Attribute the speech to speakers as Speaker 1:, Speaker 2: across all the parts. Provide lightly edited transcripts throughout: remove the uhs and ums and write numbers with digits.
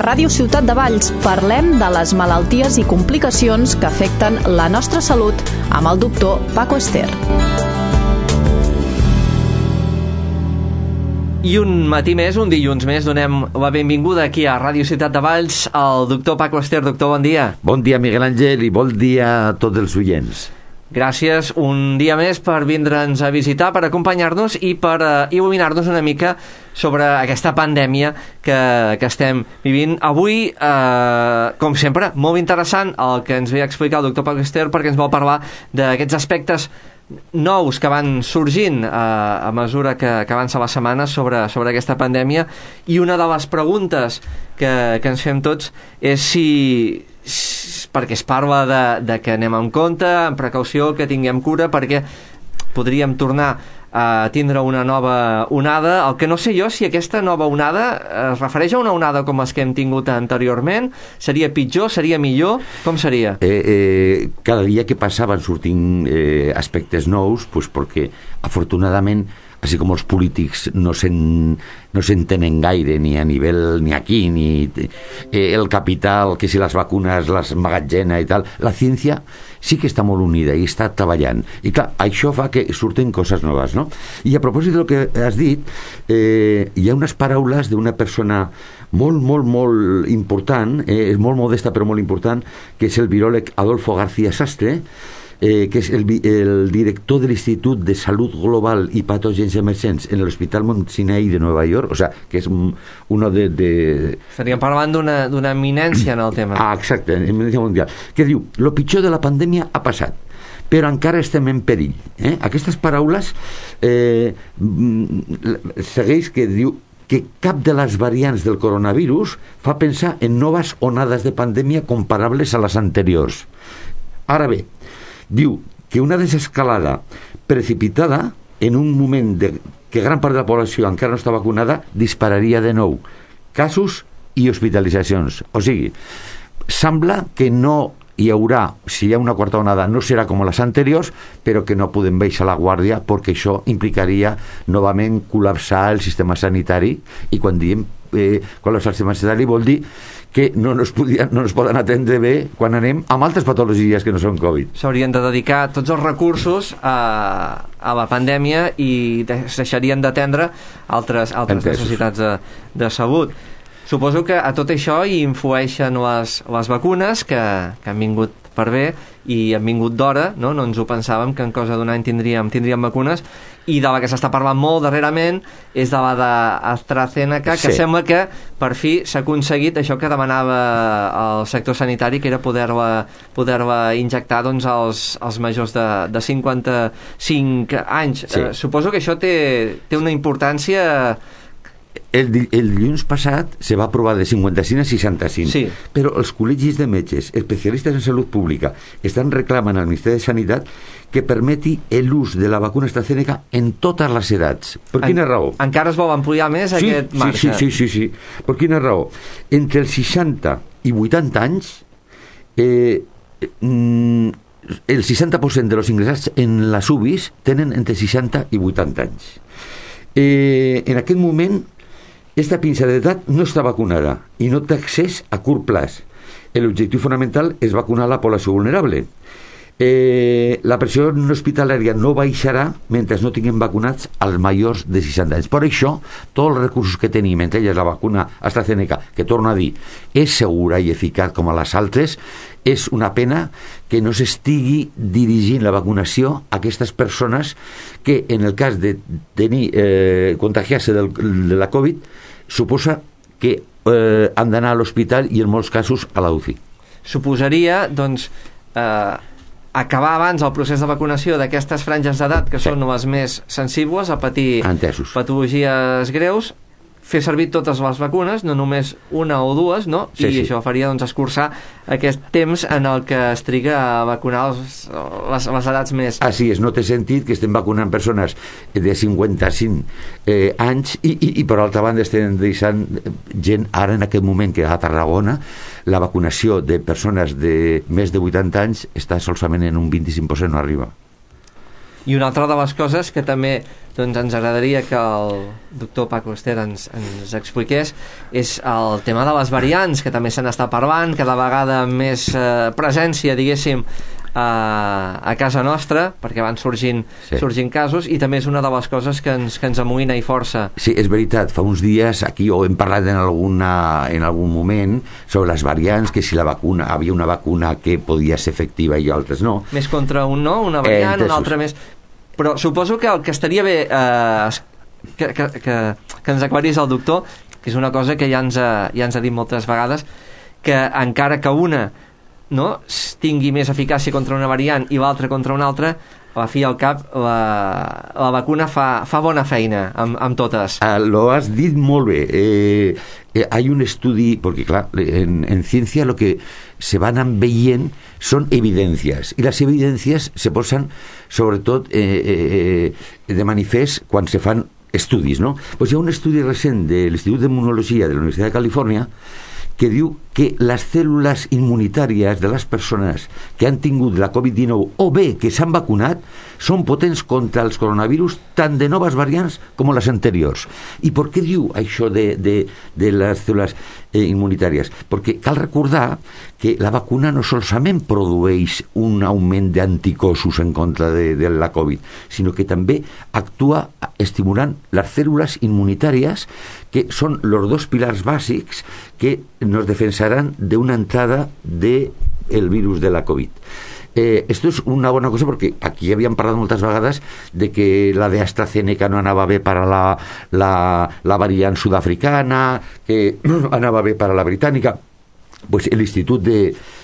Speaker 1: Ràdio Ciutat de Valls parlem de les malalties i complicacions que afecten la nostra salut amb el doctor Paco Ester.
Speaker 2: I un matí més, un dilluns més, donem la benvinguda aquí a Ràdio Ciutat de Valls al doctor Paco Ester. Doctor, bon dia.
Speaker 3: Bon dia, Miguel Àngel, i bon dia a tots els oients.
Speaker 2: Gràcies un dia més per vindre'ns a visitar, per acompanyar-nos i per il·luminar-nos una mica sobre aquesta pandèmia que estem vivint. Avui, com sempre, molt interessant el que ens ve a explicar el doctor Paco Ester, perquè ens vol parlar d'aquests aspectes nous que van sorgint a mesura que avança la setmana sobre aquesta pandèmia, i una de les preguntes que ens fem tots és si perquè es parla de que anem amb compte, amb precaució, que tinguem cura, perquè podríem tornar a tindre una nova onada. El que no sé jo, si aquesta nova onada es refereix a una onada com les que hem tingut anteriorment, seria pitjor, seria millor, com seria?
Speaker 3: Cada dia que passa van sortint aspectes nous, pues perquè afortunadament, així com els polítics no s'entenen gaire ni a nivell ni aquí, ni el capital, que si les vacunes les emmagatzena i tal, la ciència sí que està molt unida i està treballant, i clar, això fa que surten coses noves, no? I a propòsit del que has dit, hi ha unes paraules d'una persona molt, molt, molt important, és molt modesta però molt important, que és el viròleg Adolfo García Sastre, que és el director de l'Institut de Salut Global i Patògens Emergents en l'Hospital Mount Sinai de Nova York, o sea, que és uno de...
Speaker 2: Estaríem parlant d'una eminència en el tema.
Speaker 3: Exacte, eminència mundial, que diu, lo pitjor de la pandèmia ha passat, però encara estem en perill. Aquestes paraules segueix que diu que cap de les variants del coronavirus fa pensar en noves onades de pandèmia comparables a les anteriors. Ara bé, diu que una desescalada precipitada en un moment que gran part de la població encara no està vacunada dispararia de nou casos i hospitalitzacions. O sigui, sembla que no hi haurà, si hi ha una quarta onada, no serà com les anteriors, però que no podem baixar la guàrdia perquè això implicaria novament col·lapsar el sistema sanitari, i quan diem col·lapsar el sistema sanitari vol dir que no ens poden atendre bé quan anem amb altres patologies que no són Covid.
Speaker 2: S'haurien de dedicar tots els recursos a la pandèmia i deixarien d'atendre altres necessitats de salut. Suposo que a tot això hi influeixen les vacunes que han vingut per bé i han vingut d'hora, no ens ho pensàvem que en cosa d'un any tindríem vacunes, i de la que s'està parlant molt darrerament és de la d'AstraZeneca, que sí. Sembla que per fi s'ha aconseguit això que demanava el sector sanitari, que era poder-la injectar als majors de 55 anys. Sí. Suposo que això té una importància.
Speaker 3: El dilluns passat se va aprovar de 55 a 65, sí. Però els col·legis de metges, especialistes en salut pública, estan reclamant al Ministeri de Sanitat que permeti l'ús de la vacuna AstraZeneca en totes les edats. Per quina raó?
Speaker 2: Encara es vol ampliar més aquest marge?
Speaker 3: Sí. Per quina raó? Entre els 60 i 80 anys, el 60% de los ingressats en les UBIs tenen entre 60 i 80 anys. En aquest moment, esta pinça d'edat no està vacunada i no té accés a curt plaç. L'objectiu fonamental és vacunar la població vulnerable. La pressió hospitalària no baixarà mentre no tinguem vacunats als majors de 60 anys. Per això, tots els recursos que tenim, entre elles la vacuna AstraZeneca, que torno a dir, és segura i eficaç com a les altres, és una pena que no s'estigui dirigint la vacunació a aquestes persones que, en el cas de tenir contagiar-se de la Covid, suposa que han d'anar a l'hospital i en molts casos a la UCI.
Speaker 2: Suposaria, doncs, acabar abans el procés de vacunació d'aquestes franges d'edat que són les més sensibles a patir patologies greus, fer servir totes les vacunes, no només una o dues, no? I això faria escurçar aquest temps en el que es triga a vacunar les edats més...
Speaker 3: Així és, no té sentit que estem vacunant persones de 55 anys i per altra banda estem deixant gent, ara en aquest moment que a Tarragona la vacunació de persones de més de 80 anys està solament en un 25%, no arriba.
Speaker 2: I una altra de les coses que també doncs ens agradaria que el doctor Paco Ester ens expliqués és el tema de les variants, que també se n'està parlant, cada vegada amb més presència, diguéssim, a casa nostra, perquè van sorgint casos, i també és una de les coses que ens amoïna i força.
Speaker 3: Sí, és veritat, fa uns dies aquí ho hem parlat en algun moment sobre les variants, que si havia una vacuna que podia ser efectiva i altres no.
Speaker 2: Més contra un no, una variant, una altra més... Però suposo que el que estaria bé que ens aclarís el doctor, que és una cosa que ja ens ha dit moltes vegades, que encara que una tingui més eficàcia contra una variant i l'altra contra una altra, a la fi i al cap la vacuna fa bona feina amb totes.
Speaker 3: Lo has dit molt bé. Hay un estudi, porque claro, en ciencia lo que se van veient son evidencias, y las evidencias se posan sobretot de manifest quan se fan estudis, no? Pues hi ha un estudi recent de l'Institut d'Immunologia de la Universitat de Califòrnia que diu que les cèl·lules immunitàries de les persones que han tingut la Covid-19 o bé que s'han vacunat són potents contra els coronavirus tant de noves variants com les anteriors. I per què diu això de les cèl·lules immunitàries? Perquè cal recordar que la vacuna no solament produeix un augment d'anticossos en contra de la Covid, sinó que també actua estimulant les cèl·lules immunitàries, que són els dos pilars bàsics que nos defensarán de una entrada del virus de la COVID. Esto es una bona cosa perquè aquí havíem parlat moltes vegades de que la de AstraZeneca no anava bé per a la variant sud-africana, que anava bé per a la britànica. Pues l'Institut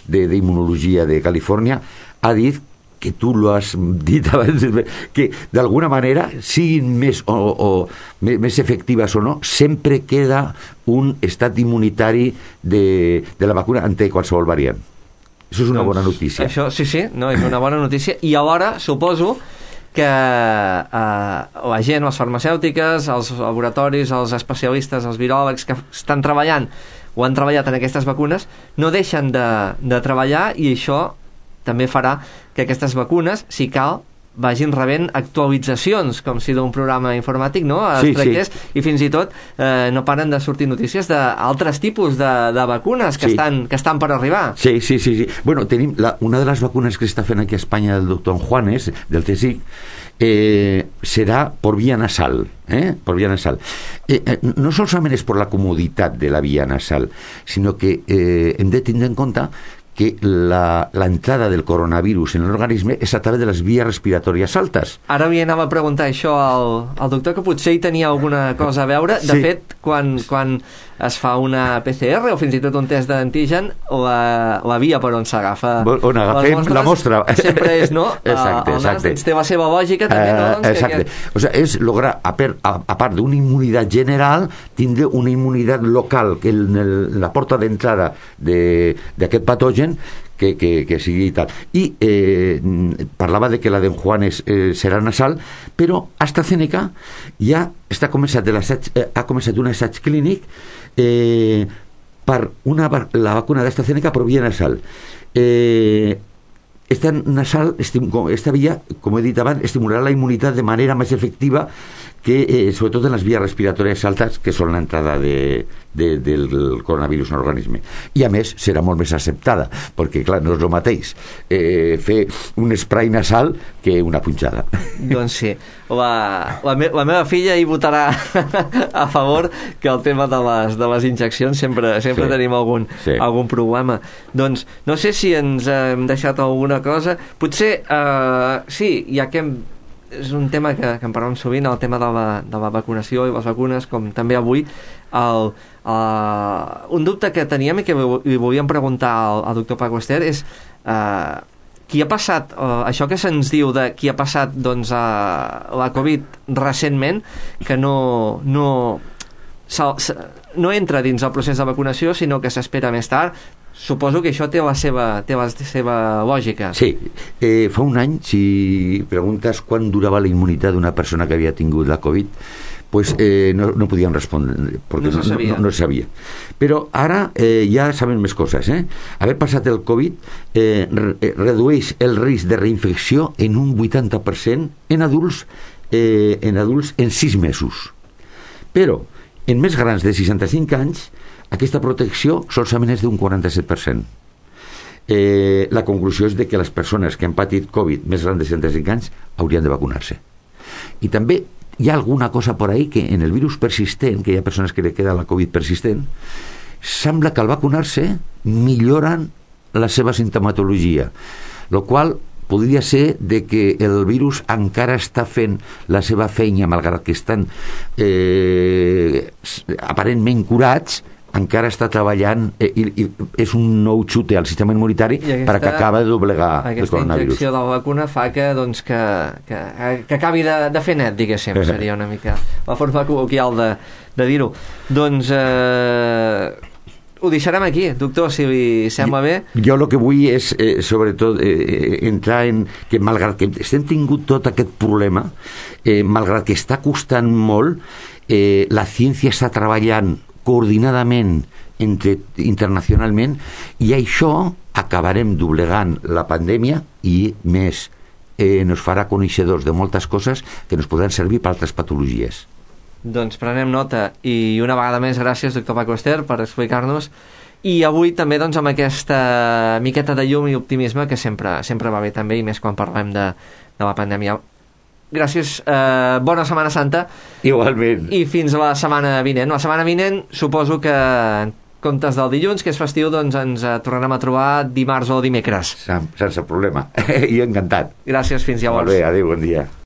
Speaker 3: d'Immunologia de Califòrnia ha dit, que tu lo has dit abans, que d'alguna manera, siguin més efectives o no, sempre queda un estat immunitari de la vacuna ante qualsevol variant. Això és una bona notícia.
Speaker 2: Això, sí, no, és una bona notícia. I alhora, suposo que la gent, les farmacèutiques, els laboratoris, els especialistes, els viròlegs que estan treballant o han treballat en aquestes vacunes, no deixen de treballar, i això també farà que aquestes vacunes, si cal, vagin rebent actualitzacions, com si d'un programa informàtic, no? Es tractés, i fins i tot no paren de sortir notícies d'altres tipus de vacunes que estan per arribar.
Speaker 3: Sí. Bueno, tenim una de les vacunes que està fent aquí a Espanya el doctor Juanes, del CSIC, serà por vía nasal, por vía nasal. No solament és per la comoditat de la vía nasal, sinó que hem de tindre en compte que la entrada del coronavirus en l'organisme és a través de les vies respiratòries altes.
Speaker 2: Ara li anava a preguntar això al doctor, que potser hi tenia alguna cosa a veure. De fet, quan es fa una PCR o fins i tot un test d'antigen, la via per on s'agafa
Speaker 3: on agafem la mostra
Speaker 2: sempre és, no?
Speaker 3: Exacte.
Speaker 2: Doncs té la seva lògica també, no?
Speaker 3: Exacte. O sea, és lograr, a part d'una immunitat general, tindre una immunitat local, que en la porta d'entrada d'aquest patogen que sigui tal. I parlava de que la d'en Juanes serà nasal, però AstraZeneca ja ha començat un assaig clínic per la vacuna d'AstraZeneca per via nasal. Esta via, com he dit abans, estimularà la immunitat de manera més efectiva que, sobretot en les vies respiratòries altes, que són l'entrada del coronavirus en l'organisme. I a més serà molt més acceptada, perquè clar, no és el mateix fer un spray nasal que una punxada.
Speaker 2: Doncs sí, la meva filla hi votarà a favor, que el tema de les injeccions sempre tenim algun problema. Doncs no sé si ens hem deixat alguna cosa. Potser ja que és un tema que en parlem sovint, el tema de la vacunació i les vacunes, com també avui. Un dubte que teníem i que li volíem preguntar al doctor Paco Ester és qui ha passat, això que se'ns diu de qui ha passat la Covid recentment, que no entra dins el procés de vacunació, sinó que s'espera més tard. Suposo que això té la seva lògica.
Speaker 3: Sí, fa un any, si preguntes quan durava la immunitat d'una persona que havia tingut la Covid, pues no podíem respondre, perquè no se sabia. Però ara ja sabem més coses. Haver passat el Covid redueix el risc de reinfecció en un 80% en adults en adults en 6 mesos. Però en més grans de 65 anys aquesta protecció solament és d'un 47%. La conclusió és de que les persones que han patit Covid més grans de 65 anys haurien de vacunar-se. I també hi ha alguna cosa por ahí que en el virus persistent, que hi ha persones que li queda la Covid persistent, sembla que al vacunar-se milloren la seva sintomatologia, el qual podria ser de que el virus encara està fent la seva feina, malgrat que estan aparentment curats, encara està treballant i és un nou xute al sistema immunitari perquè acaba de doblegar el coronavirus.
Speaker 2: Aquesta injecció de la vacuna fa que acabi de fer net, diguéssim, seria una mica la forma col·loquial de dir-ho. Doncs ho deixarem aquí, doctor, si li sembla bé. Jo
Speaker 3: el que vull és, sobretot, entrar en que, malgrat que estem tingut tot aquest problema, malgrat que està costant molt, la ciència està treballant coordinadament internacionalment, i això acabarem doblegant la pandèmia i més nos farà coneixedors de moltes coses que ens podran servir per altres patologies.
Speaker 2: Doncs prenem nota, i una vegada més gràcies, doctor Paco Ester, per explicar-nos, i avui també doncs, amb aquesta miqueta de llum i optimisme que sempre va bé també, i més quan parlem de la pandèmia. Gràcies, bona Setmana Santa.
Speaker 3: Igualment.
Speaker 2: I fins la setmana vinent. La setmana vinent suposo que en comptes del dilluns, que és festiu, doncs ens tornarem a trobar dimarts o dimecres.
Speaker 3: Sense problema. I encantat.
Speaker 2: Gràcies, fins llavors.
Speaker 3: Molt bé, adéu, bon dia.